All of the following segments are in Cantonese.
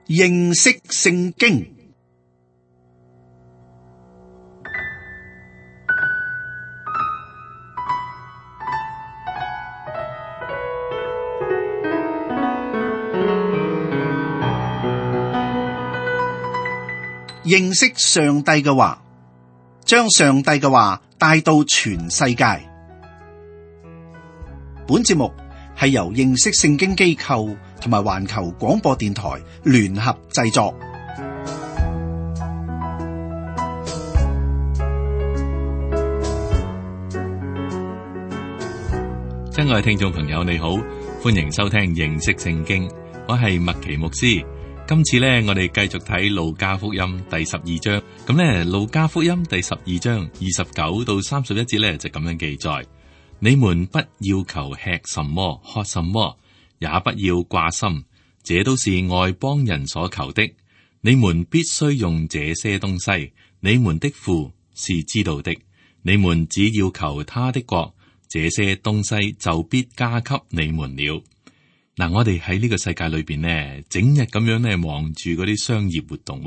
認識聖經。認識上帝嘅話，將上帝嘅話帶到全世界。本節目係由認識聖經機構同埋環球廣播電台聯合製作。親愛嘅聽眾朋友，你好，歡迎收聽認識聖經，我係麥奇牧師。今次呢，我哋繼續睇路加福音第12章。咁呢，路加福音第12章29到31節呢，就咁樣記載：你們不要求吃什麼、喝什麼，也不要掛心，這都是外邦人所求的。你們必須用這些東西，你們的父是知道的。你們只要求他的國，這些東西就必加給你們了。嗱，我哋喺呢個世界裏邊呢，整日咁樣呢忙住嗰啲商業活動。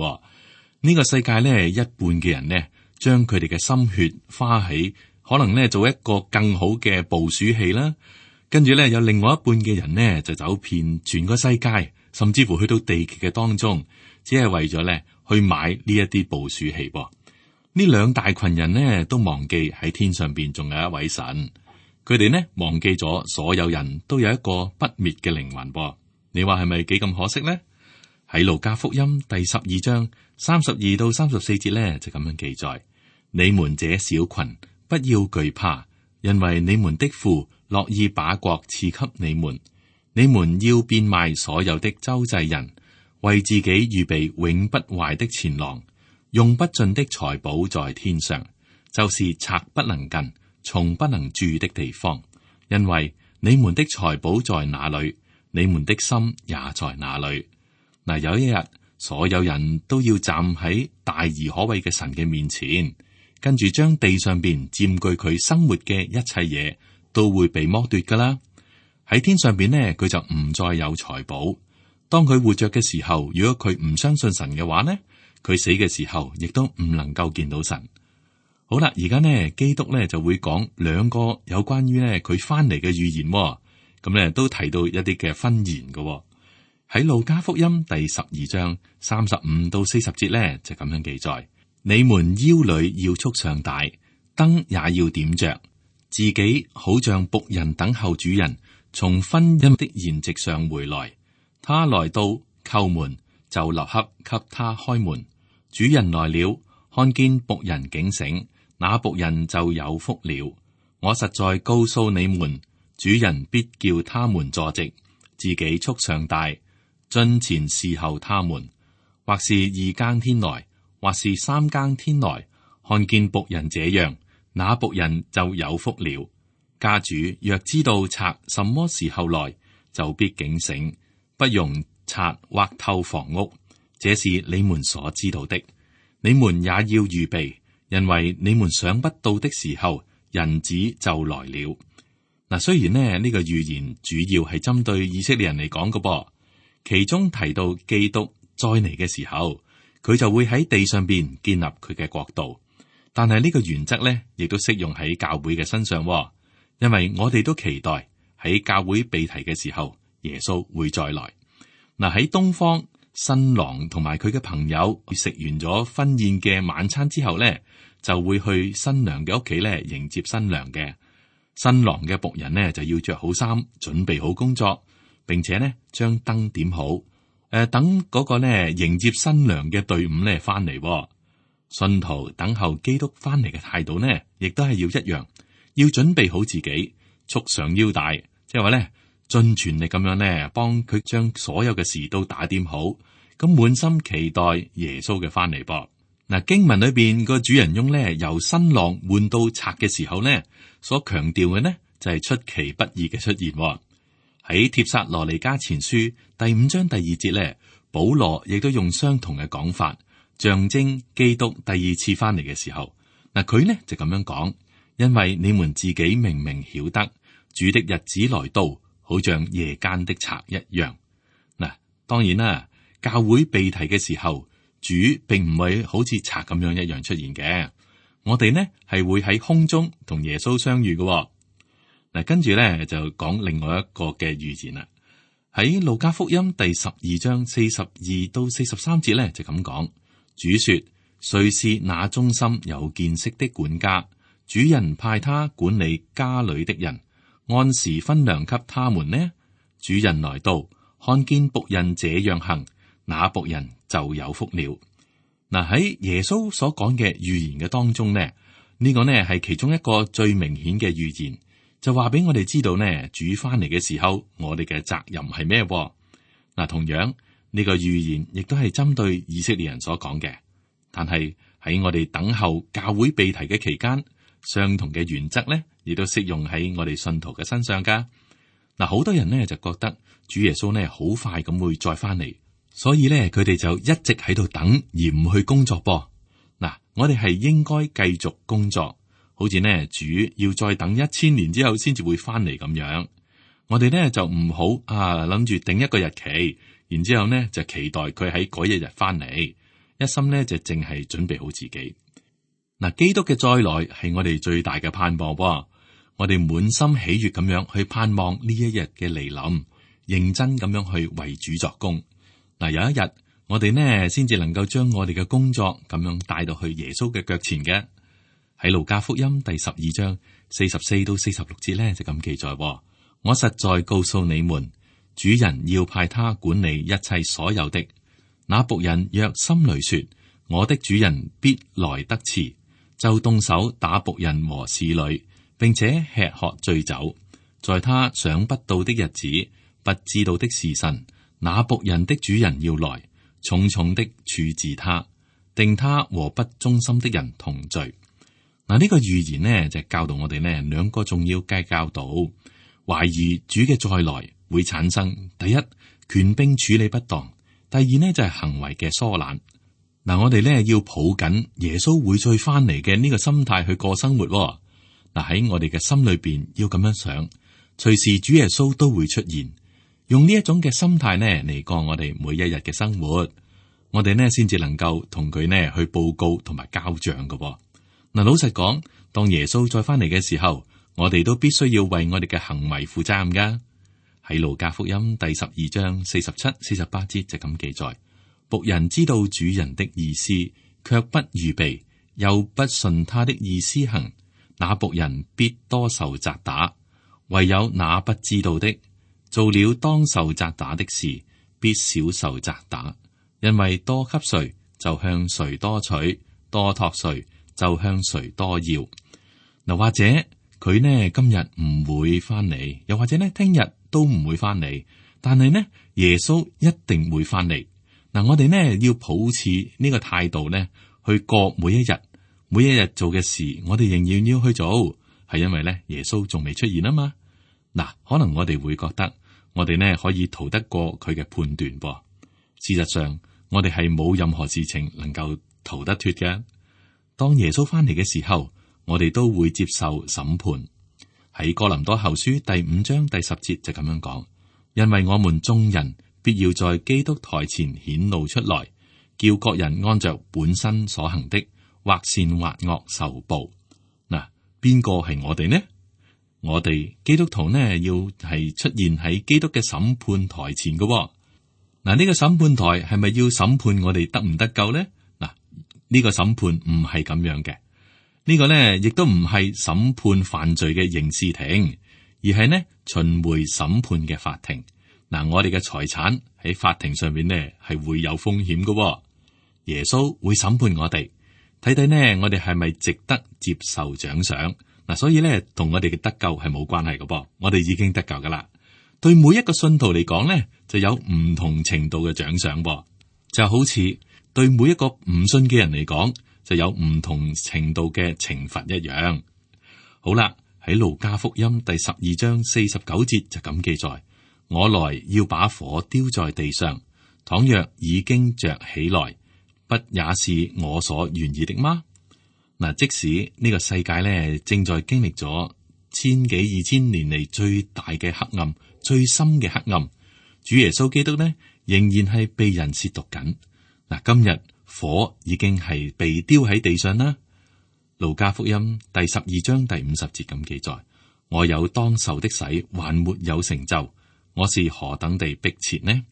呢個世界呢，一半嘅人呢，將佢哋嘅心血花喺可能呢做一個更好嘅捕鼠器啦。跟住呢，有另外一半嘅人呢，就走遍全個世界，甚至乎去到地極嘅當中，只係為咗呢去買呢一啲捕鼠器。呢兩大群人呢，都忘記喺天上邊仲有一位神。佢哋呢忘記咗所有人都有一個不滅嘅靈魂噃，你話係咪幾咁可惜呢？喺路加福音第12章32到34節呢，就咁樣記載：你們這小群不要懼怕，因為你們的父樂意把國賜給你們。你們要變賣所有的周濟人，為自己預備永不壞的錢囊，用不盡的財寶在天上，就是賊不能近，蟲不能蛀的地方。因為你們的財寶在哪裏，你們的心也在哪裏。嗱，有一日，所有人都要站喺大而可畏嘅神嘅面前，跟住將地上邊佔據佢生活嘅一切嘢都會被剝奪噶啦。喺天上邊呢，佢就唔再有財寶。當佢活着嘅時候，如果佢唔相信神嘅話呢，佢死嘅時候亦都唔能夠見到神。好啦，而家呢，基督呢就會講兩個有關於呢佢翻嚟嘅預言，咁呢都提到一啲嘅婚言嘅。喺路加福音第12章35到40節呢，就咁樣記載：你們腰裏要束上帶，燈也要點着，自己好像僕人等候主人從婚姻的筵席上回來。他來到叩門，就立刻給他開門。主人來了，看見僕人警醒，那僕人就有福了。我實在告訴你們，主人必叫他們坐席，自己束上帶，進前侍候他們。或是2更天來，或是3更天來，看見僕人這樣，那僕人就有福了。家主若知道賊什麼時候來，就必警醒，不容賊挖透房屋。這是你們所知道的，你們也要預備。因為你們想不到的時候，人子就來了。嗱，雖然呢個預言主要係針對以色列人嚟講嘅噃，其中提到基督再嚟嘅時候，佢就會喺地上邊建立佢嘅國度。但係呢個原則呢，亦都適用喺教會嘅身上，因為我哋都期待喺教會被提嘅時候，耶穌會再來。嗱，喺東方，新郎同埋佢嘅朋友食完咗婚宴嘅晚餐之後呢，就會去新娘嘅屋企咧迎接新娘嘅。新郎嘅僕人呢，就要着好衫，準備好工作，並且呢將燈點好。等嗰個呢迎接新娘嘅隊伍呢翻嚟。信徒等候基督翻嚟嘅態度呢，亦都係要一樣，要準備好自己，束上腰帶，即係話呢盡全力咁樣呢幫佢將所有嘅事都打點好，咁滿心期待耶穌嘅翻嚟噃。嗱，經文裏邊個主人翁咧由新郎換到賊嘅時候呢，所強調嘅呢就係出其不意嘅出現。喺帖撒羅尼迦前書第5章第2節咧，保羅亦都用相同嘅講法，象徵基督第二次翻嚟嘅時候。嗱，佢呢就咁樣講：因為你們自己明明曉得，主的日子來到，好像夜間的賊一樣。嗱，當然啦，教會被提嘅時候，主並唔會好似賊咁樣一樣出現嘅。我哋呢係會喺空中同耶穌相遇嘅。嗱，跟住咧就講另外一個嘅預言啦。喺路加福音第12章42到43節咧就咁講，主說：誰是那忠心有見識的管家？主人派他管理家裏的人，按時分糧給他們呢？主人來到，看見僕人這樣行，那僕人就有福了。嗱，喺耶穌所講嘅預言嘅當中呢，呢個呢係其中一個最明顯嘅預言，就話俾我哋知道呢，主翻嚟嘅時候，我哋嘅責任係咩？嗱，同樣呢個預言亦都係針對以色列人所講嘅，但係喺我哋等候教會被提嘅期間，相同嘅原則呢，亦都適用喺我哋信徒嘅身上噶。嗱，好多人呢就覺得主耶穌呢好快咁會再翻嚟。所以咧，佢哋就一直喺度等而唔去工作噃。嗱，我哋係應該繼續工作，好似呢主要再等1000年之後先至會翻嚟咁樣。我哋呢就唔好諗住定一個日期，然之後呢就期待佢喺嗰一日翻嚟，一心呢就淨係準備好自己。嗱，基督嘅再來係我哋最大嘅盼望噃。我哋滿心喜悅咁樣去盼望呢一日嘅來臨，認真咁樣去為主作工。嗱，有一日我哋呢先至能夠將我哋嘅工作咁樣帶到去耶穌嘅腳前嘅。喺路加福音第12章44到46節呢就咁記載：我實在告訴你們，主人要派他管理一切所有的。那僕人若心裏說，我的主人必來得遲，就動手打僕人和侍女，並且吃喝醉酒，在他想不到的日子，不知道的時辰，那僕人的主人要來，重重的處置他，定他和不忠心的人同罪。嗱，呢個預言呢就教導我哋呢兩個重要嘅教導。懷疑主嘅再來會產生第一，權柄處理不當；第二呢就係行為嘅疏懶。嗱，我哋呢要抱緊耶穌會再翻嚟嘅呢個心態去過生活。嗱，喺我哋嘅心裏邊要咁樣想，隨時主耶穌都會出現。用呢一種嘅心態呢嚟過我哋每一日嘅生活，我哋呢先至能夠同佢呢去報告同埋交賬嘅。嗱，老實講，當耶穌再翻嚟嘅時候，我哋都必須要為我哋嘅行為負責任噶。喺路加福音第12章47、48節就咁記載：僕人知道主人的意思，卻不預備，又不順他的意思行，那僕人必多受責打；唯有那不知道的，做了當受責打的事，必少受責打。因為多給誰，就向誰多取；多託誰，就向誰多要。嗱，或者佢呢今日唔會翻嚟，又或者呢聽日都唔會翻嚟，但係呢耶穌一定會翻嚟。嗱，我哋呢要保持呢個態度呢去過每一日，每一日做嘅事，我哋仍然要去做，係因為呢耶穌仲未出現啊嘛。嗱，可能我哋會覺得我哋呢可以逃得過佢嘅判斷噃。事實上，我哋係冇任何事情能夠逃得脫嘅。當耶穌翻嚟嘅時候，我哋都會接受審判。喺哥林多後書第5章第10節就咁樣講：因為我們眾人必要在基督台前顯露出來，叫各人按着本身所行的，或善或惡受報。嗱，邊個係我哋呢？我哋基督徒呢，要係出現喺基督嘅審判台前嘅。嗱，呢個審判台係咪要審判我哋得唔得救呢？嗱，呢個審判唔係咁樣嘅。呢個呢，亦都唔係審判犯罪嘅刑事庭，而係呢巡迴審判嘅法庭。嗱，我哋嘅財產喺法庭上面呢係會有風險嘅。耶穌會審判我哋，睇睇呢我哋係咪值得接受獎賞。嗱，所以咧，同我哋嘅得救係冇關係嘅噃，我哋已經得救噶啦。對每一個信徒嚟講咧，就有唔同程度嘅獎賞噃，就好似對每一個唔信嘅人嚟講，就有唔同程度嘅懲罰一樣。好啦，喺路加福音第12章49節就咁記載：我來要把火丟在地上，倘若已經着起來，不也是我所願意的嗎？嗱，即使呢個世界咧正在經歷咗千幾2000年嚟最大嘅黑暗、最深嘅黑暗，主耶穌基督呢仍然係被人褻瀆緊。嗱，今日火已經係被丟喺地上啦。路加福音第12章第50節咁記載：我有當受的洗，還沒有成就，我是何等地迫切呢？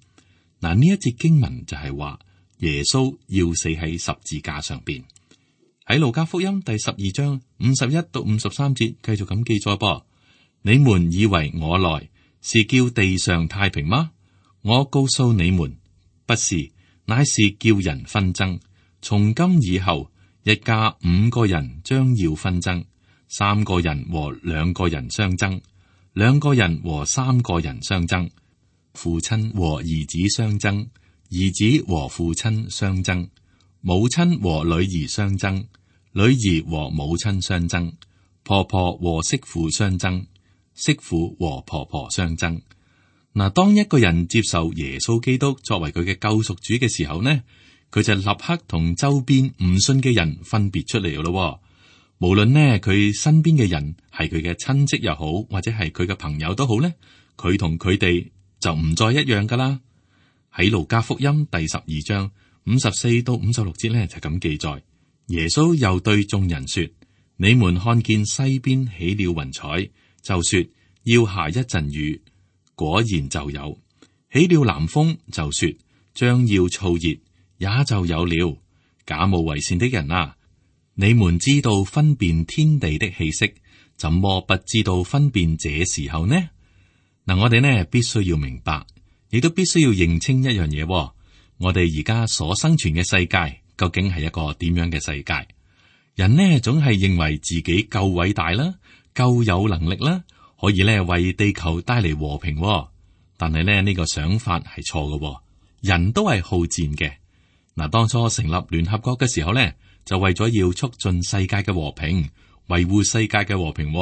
嗱，呢一節經文就係話耶穌要死喺十字架上邊。喺路加福音第12章51到53節繼續咁記載噃：你們以為我來是叫地上太平嗎？我告訴你們，不是，乃是叫人紛爭。從今以後，一家5個人將要紛爭，3個人和2個人相爭，2個人和3個人相爭，父親和兒子相爭，兒子和父親相爭，母親和女兒相爭，女兒和母親相爭，婆婆和媳婦相爭，媳婦和婆婆相爭。嗱，當一個人接受耶穌基督作為佢嘅救贖主嘅時候呢，佢就立刻同周邊唔信嘅人分別出嚟咯。無論呢佢身邊嘅人係佢嘅親戚又好，或者係佢嘅朋友都好呢，佢同佢哋就唔再一樣噶啦。喺路加福音第12章54到56節呢，就咁記載：耶穌又對眾人說：你們看見西邊起了雲彩，就說要下一陣雨，果然就有；起了南風，就說將要燥熱，也就有了。假冒為善的人啊，你們知道分辨天地的氣息，怎麼不知道分辨這時候呢？嗱，我哋呢必須要明白，亦都必須要認清一樣嘢。我哋而家所生存嘅世界究竟係一個點樣嘅世界？人呢總係認為自己夠偉大啦，夠有能力啦，可以呢為地球帶嚟和平。但係呢個想法係錯嘅。人都係好戰嘅。嗱，當初成立聯合國嘅時候呢，就為咗要促進世界嘅和平，維護世界嘅和平。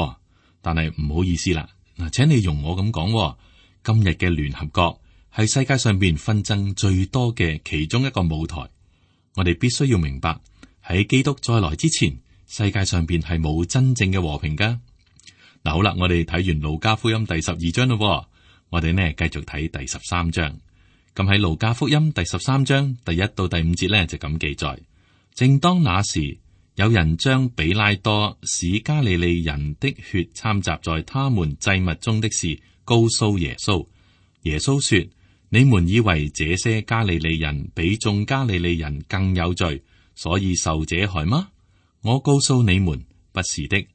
但係唔好意思啦，嗱，請你容我咁講，今日嘅聯合國係世界上邊紛爭最多嘅其中一個舞台。我哋必須要明白，喺基督再來之前，世界上邊係冇真正嘅和平噶。嗱，好啦，我哋睇完路加福音第12章咯，我哋呢繼續睇第13章。咁喺路加福音第13章第1到第5節呢，就咁記載：正當那時，有人將比拉多使加利利人的血摻雜在他們祭物中的事告訴耶穌。耶穌說：你們以為這些加利利人比眾加利利人更有罪，所以受這害嗎？我告訴你們，不是的。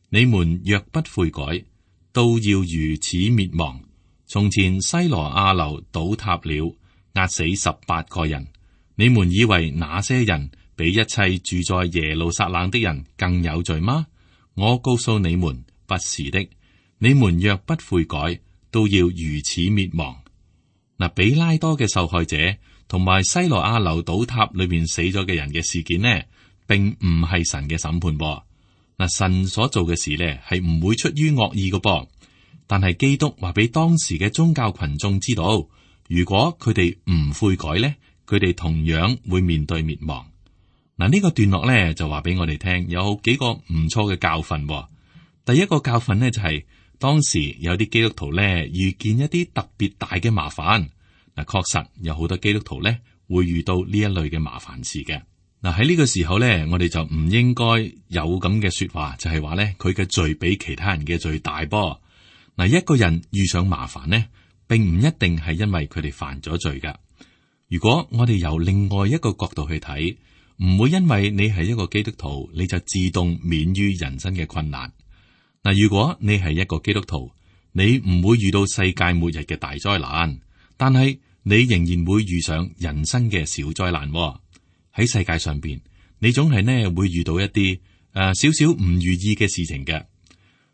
你們若不悔改，都要如此滅亡。從前西羅亞樓倒塌了，壓死18個人。你們以為那些人比一切住在耶路撒冷的人更有罪嗎？我告訴你們，不是的。你們若不悔改，都要如此滅亡。嗱，比拉多嘅受害者同埋西羅亞樓倒塌裏面死咗嘅人嘅事件呢，並唔係神嘅審判噃。嗱，神所做嘅事呢，係唔會出於惡意嘅噃。但係基督話俾當時嘅宗教群眾知道，如果佢哋唔悔改呢，佢哋同樣會面對滅亡。嗱，呢個段落呢，就話俾我哋聽，有幾個唔錯嘅教訓。第一個教訓呢，就係當時有啲基督徒呢，遇見一啲特別大嘅麻煩。嗱，確實有好多基督徒呢，會遇到呢一類嘅麻煩事嘅。嗱，喺呢個時候呢，我哋就唔應該有咁嘅說話，就係話呢，佢嘅罪比其他人嘅罪大噃。嗱，一個人遇上麻煩呢，並唔一定係因為佢哋犯咗罪噶。如果我哋由另外一個角度去睇，唔會因為你係一個基督徒，你就自動免於人生嘅困難。嗱，如果你係一個基督徒，你唔會遇到世界末日嘅大災難，但係你仍然會遇上人生嘅小災難。喺世界上邊，你總係呢會遇到一啲少少唔如意嘅事情嘅。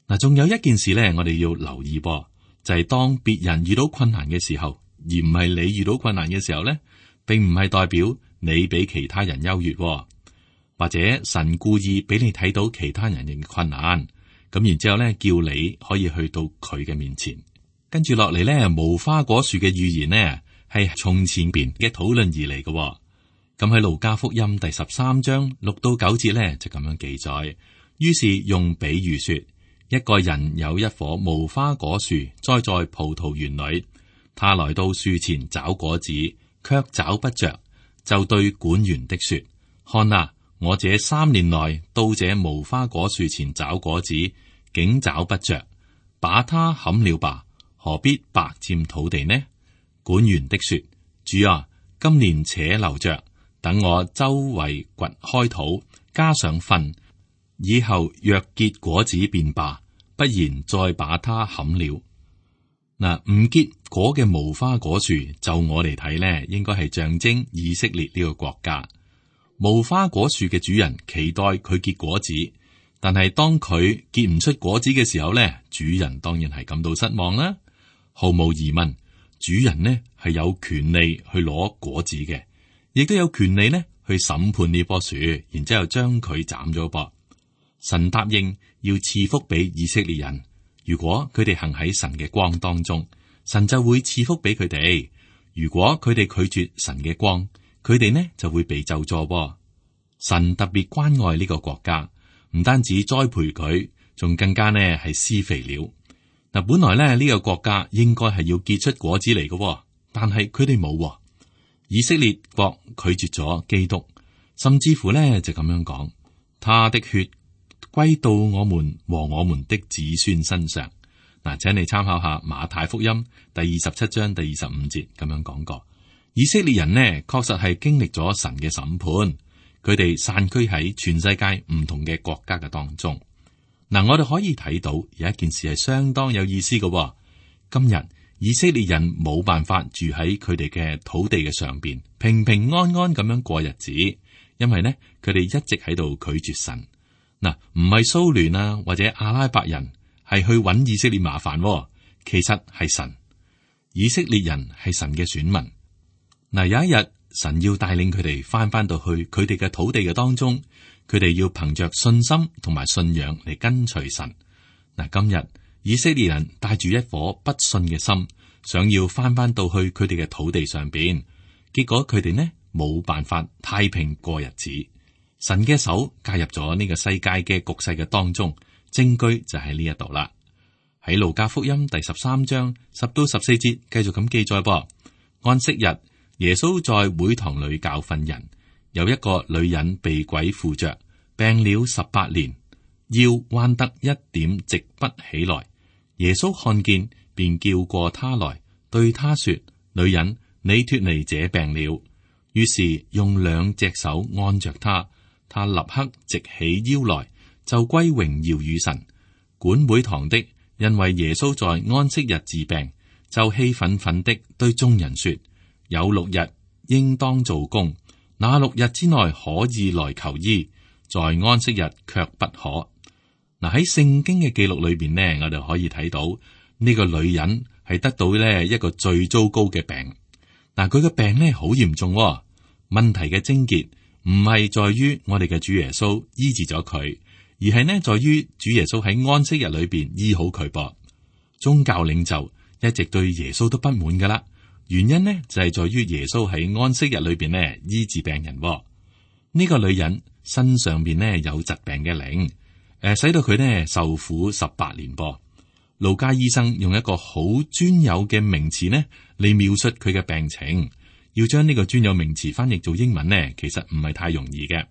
嗱，仲有一件事咧，我哋要留意噃，就係當別人遇到困難嘅時候，而唔係你遇到困難嘅時候咧，並唔係代表你比其他人優越，或者神故意俾你睇到其他人嘅困難，咁然之後咧，叫你可以去到佢嘅面前。跟住落嚟咧，無花果樹嘅預言呢，係從前邊嘅討論而嚟嘅。咁喺路加福音第13章6到9節咧，就咁樣記載。於是用比喻說，一個人有一棵無花果樹栽在葡萄園裏，他來到樹前找果子，卻找不着，就對管園的說：看啊，我這3年來到這無花果樹前找果子，竟找不着，把它砍了吧，何必白佔土地呢？管園的說：主啊，今年且留着，等我周圍掘開土，加上糞，以後若結果子便罷，不然再把它砍了。嗱，唔結果嘅無花果樹，就我嚟睇呢，應該係象徵以色列呢個國家。無花果樹嘅主人期待佢結果子，但係當佢結唔出果子嘅時候呢，主人當然係感到失望啦。毫無疑問，主人呢係有權利去攞果子嘅，亦都有權利呢去審判呢棵樹，然之後將佢斬咗噃。神答應要賜福俾以色列人。如果佢哋行喺神嘅光當中，神就會賜福俾佢哋；如果佢哋拒絕神嘅光，佢哋呢就會被咒詛。神特別關愛呢個國家，唔單止栽培佢，仲更加呢係施肥料。嗱，本來呢個國家應該係要結出果子嚟嘅，但係佢哋冇。以色列國拒絕咗基督，甚至乎呢就咁樣講：他的血歸到我們和我們的子孫身上。嗱，請你參考下馬太福音第27章第25節咁樣講過。以色列人呢，確實係經歷咗神嘅審判，佢哋散居喺全世界唔同嘅國家嘅當中。嗱，我哋可以睇到有一件事係相當有意思嘅。今日以色列人冇辦法住喺佢哋嘅土地嘅上邊，平平安安咁樣過日子，因為呢，佢哋一直喺度拒絕神。嗱，唔係蘇聯啊，或者阿拉伯人係去揾以色列麻煩，其實係神。以色列人係神嘅選民。嗱，有一日神要帶領佢哋翻到去佢哋嘅土地嘅當中，佢哋要憑着信心同埋信仰嚟跟隨神。嗱，今日以色列人帶住一顆不信嘅心，想要翻到去佢哋嘅土地上邊，結果佢哋呢冇辦法太平過日子。神嘅手介入咗呢個世界嘅局勢嘅當中，證據就喺呢一度啦。喺路加福音第13章10到14節繼續咁記載噃。安息日，耶穌在會堂裏教訓人，有一個女人被鬼附着，病了18年，腰彎得一點直不起來。耶穌看見，便叫過她來，對她說：女人，你脫離這病了。於是用2隻手按着她。他立刻直起腰來，就歸榮耀與神。管會堂的因為耶穌在安息日治病，就氣憤憤的對眾人說：有6日應當做工，那6日之內可以來求醫，在安息日卻不可。嗱，喺聖經嘅記錄裏邊呢，我哋可以睇到呢個女人係得到呢一個最糟糕嘅病。嗱，佢嘅病呢好嚴重，問題嘅症結唔係在於我哋嘅主耶穌醫治咗佢，而係呢在於主耶穌喺安息日裏邊醫好佢噃。宗教領袖一直對耶穌都不滿噶啦，原因呢就係在於耶穌喺安息日裏邊呢醫治病人。呢個女人身上邊呢有疾病嘅靈，使到佢呢受苦18年噃。路加醫生用一個好專有嘅名詞呢嚟描述佢嘅病情。要將呢個專有名詞翻譯做英文呢，其實唔係太容易嘅。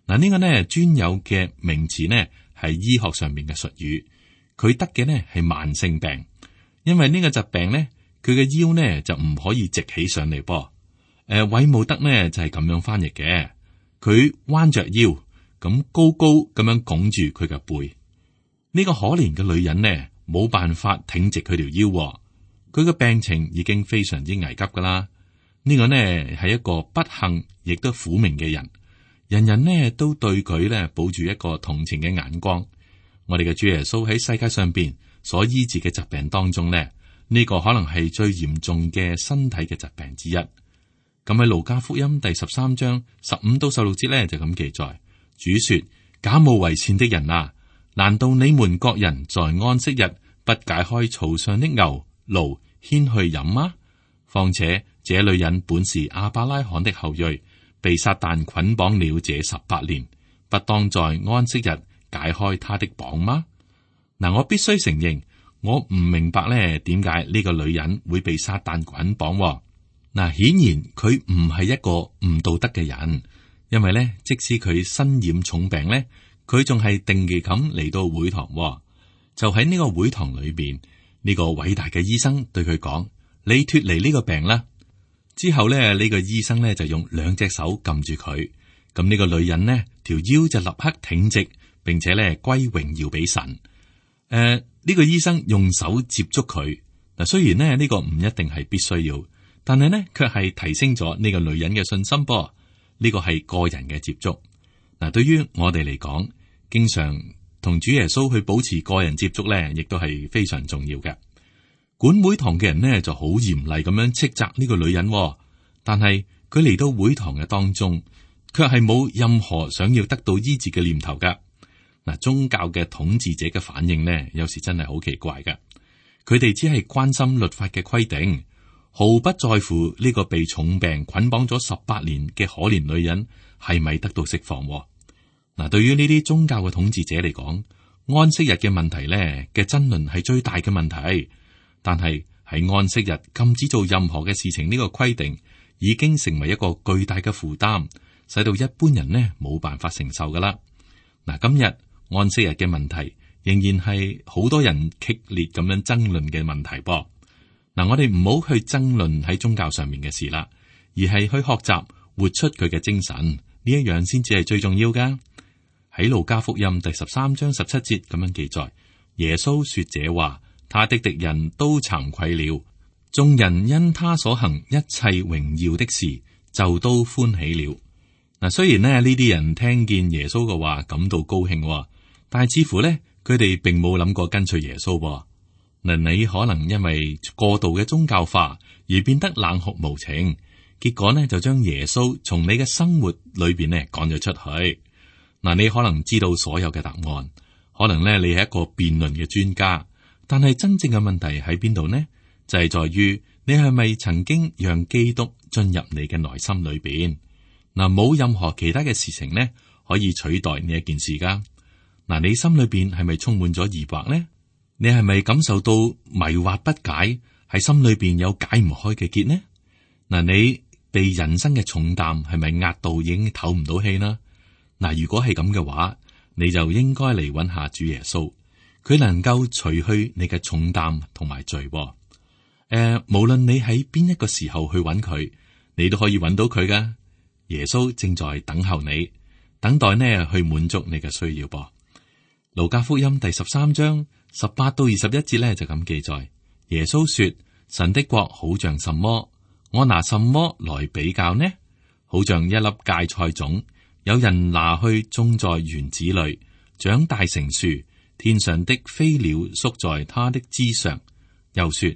嗱，呢個呢專有嘅名詞呢係醫學上面嘅術語。佢得嘅呢係慢性病，因為呢個疾病呢，佢嘅腰呢就唔可以直起上嚟噃。韋姆德呢就係咁樣翻譯嘅，佢彎着腰咁高高咁樣拱住佢嘅背。呢個可憐嘅女人呢冇辦法挺直佢條腰，佢嘅病情已經非常之危急噶啦。呢個呢係一個不幸亦都苦命嘅人，人人呢都對佢呢抱住一個同情嘅眼光。我哋嘅主耶穌喺世界上邊所醫治嘅疾病當中呢，呢個可能係最嚴重嘅身體嘅疾病之一。咁喺路加福音第13章15到16節呢就咁記載，主說：假冒為善的人啊，難道你們各人在安息日不解開槽上的牛驢牽去飲嗎？況且這女人本是亞伯拉罕的後裔，被撒旦捆綁了這18年，不當在安息日解開她的綁嗎？嗱，我必須承認，我唔明白咧，點解呢個女人會被撒旦捆綁？嗱，顯然佢唔係一個唔道德嘅人，因為咧，即使佢身染重病咧，佢仲係定期咁嚟到會堂。就喺呢個會堂裏邊，呢個偉大嘅醫生對佢講：你脫離呢個病啦。之後咧，呢個醫生咧就用兩隻手撳住佢，咁呢個女人呢條腰就立刻挺直，並且咧歸榮耀俾神。呢個醫生用手接觸佢，嗱，雖然呢個唔一定係必須要，但係呢卻係提升咗呢個女人嘅信心噃。呢個係個人嘅接觸。嗱，對於我哋嚟講，經常同主耶穌去保持個人接觸咧，亦都係非常重要嘅。管會堂嘅人呢就好嚴厲咁樣斥責呢個女人，但係佢嚟到會堂嘅當中，卻係冇任何想要得到醫治嘅念頭噶。嗱，宗教嘅統治者嘅反應呢，有時真係好奇怪噶。佢哋只係關心律法嘅規定，毫不在乎呢個被重病捆綁咗18年嘅可憐女人係咪得到釋放。嗱，對於呢啲宗教嘅統治者嚟講，安息日嘅問題呢嘅爭論係最大嘅問題。但係喺安息日禁止做任何嘅事情呢個規定，已經成為一個巨大嘅負擔，使到一般人呢冇辦法承受噶啦。嗱，今日安息日嘅問題仍然係好多人激烈咁樣爭論嘅問題噃。嗱，我哋唔好去爭論喺宗教上面嘅事啦，而係去學習活出佢嘅精神，呢一樣先至係最重要噶。喺路加福音第13章17節咁樣記載，耶穌說這話，他的敵人都慚愧了，眾人因他所行一切榮耀的事就都歡喜了。嗱，雖然呢啲人聽見耶穌嘅話感到高興，但係似乎呢，佢哋並冇諗過跟隨耶穌。嗱，你可能因為過度嘅宗教化而變得冷酷無情，結果呢就將耶穌從你嘅生活裏邊呢趕咗出去。嗱，你可能知道所有嘅答案，可能呢你係一個辯論嘅專家，但係真正嘅問題喺邊度呢？就係在於你係咪曾經讓基督進入你嘅內心裏邊？嗱，冇任何其他嘅事情呢可以取代呢一件事噶。嗱，你心裏邊係咪充滿咗疑惑呢？你係咪感受到迷惑不解？喺心裏邊有解唔開嘅結呢？嗱，你被人生嘅重擔係咪壓到已經唞唔到氣呢？嗱，如果係咁嘅話，你就應該嚟揾下主耶穌，佢能夠除去你嘅重擔同埋罪。無論你喺邊一個時候去揾佢，你都可以揾到佢噶。耶穌正在等候你，等待呢去滿足你嘅需要噃。路加福音第13章18到21節呢就咁記載，耶穌說：神的國好像什麼？我拿什麼來比較呢？好像一粒芥菜種，有人拿去種在園子裏，長大成樹，天上的飛鳥宿在它的枝上。又說：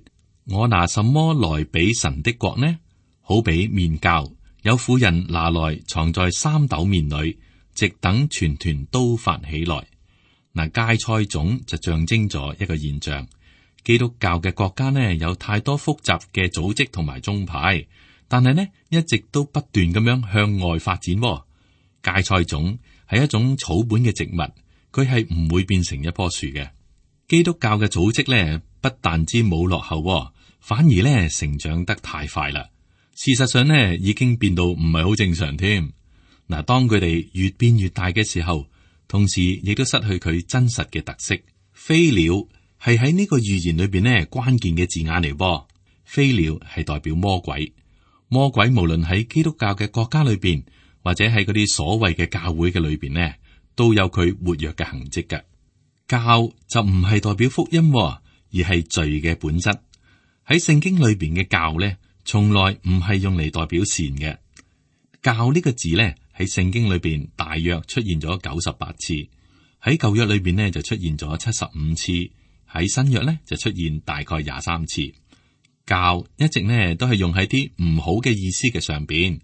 我拿什麼來比神的國呢？好比麵酵，有婦人拿來藏在3斗麵裏，直等全團都發起來。嗱，芥菜種就象徵咗一個現象。基督教嘅國家呢，有太多複雜嘅組織同埋宗派，但係呢一直都不斷咁樣向外發展。芥菜種係一種草本嘅植物，佢係唔會變成一棵樹嘅。基督教嘅組織呢，不但之冇落後，反而呢成長得太快啦。事實上呢，已經變到唔係好正常添。嗱，當佢哋越變越大嘅時候，同時亦都失去佢真實嘅特色。飛鳥係喺呢個預言裏邊呢關鍵嘅字眼嚟噃。飛鳥係代表魔鬼，魔鬼無論喺基督教嘅國家裏邊，或者喺嗰啲所謂嘅教會嘅裏邊呢，都有佢活躍嘅痕跡嘅。教就唔係代表福音，而係罪嘅本質。喺聖經裏邊嘅教呢，從來唔係用嚟代表善嘅。教呢個字呢，喺聖經裏邊大約出現咗98次，喺舊約裏邊呢就出現咗75次，喺新約呢就出現大概23次。教一直呢都係用喺啲唔好嘅意思嘅上邊。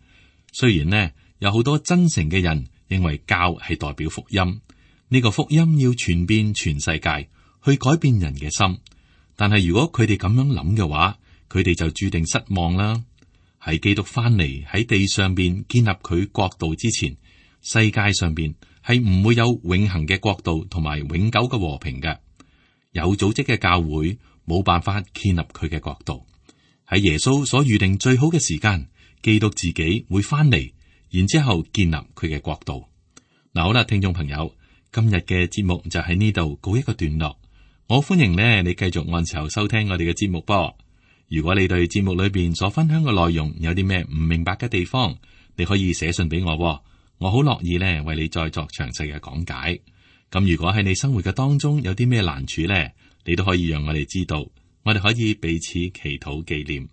雖然呢有好多真誠嘅人認為教係代表福音，呢個福音要傳遍全世界，去改變人嘅心。但係如果佢哋咁樣諗嘅話，佢哋就注定失望啦。喺基督翻嚟喺地上邊建立佢國度之前，世界上邊係唔會有永恆嘅國度同埋永久嘅和平嘅。有組織嘅教會冇辦法建立佢嘅國度。喺耶穌所預定最好嘅時間，基督自己會翻嚟，然之後建立佢嘅國度。嗱，好啦，聽眾朋友，今日嘅節目就喺呢度告一個段落。我歡迎呢，你繼續按時候收聽我哋嘅節目噃。如果你對節目裏邊所分享嘅內容有啲咩唔明白嘅地方，你可以寫信俾我，我好樂意呢為你再作詳細嘅講解。咁如果喺你生活嘅當中有啲咩難處呢，你都可以讓我哋知道，我哋可以彼此祈禱紀念。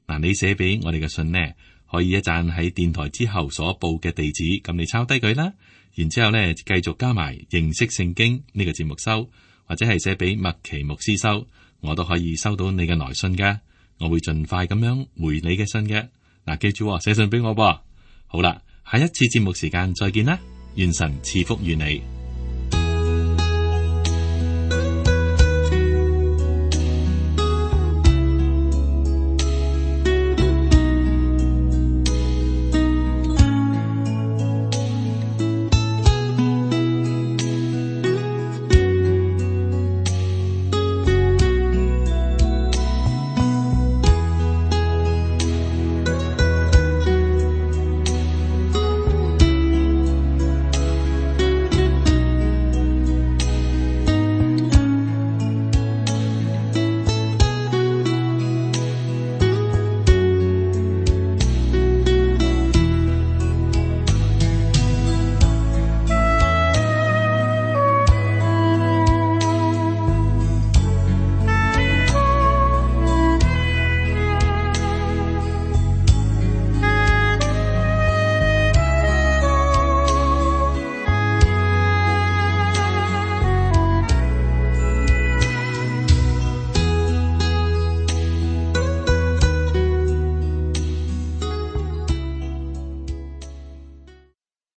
嗱，你寫俾我哋嘅信呢，可以一陣喺電台之後所報嘅地址，咁你抄低佢啦。然之後呢，繼續加埋認識聖經呢個節目收，或者係寫俾麥奇牧師收，我都可以收到你嘅來信嘅。我會盡快咁樣回你嘅信嘅。嗱，記住寫信俾我噃。好啦，下一次節目時間再見啦，願神賜福於你。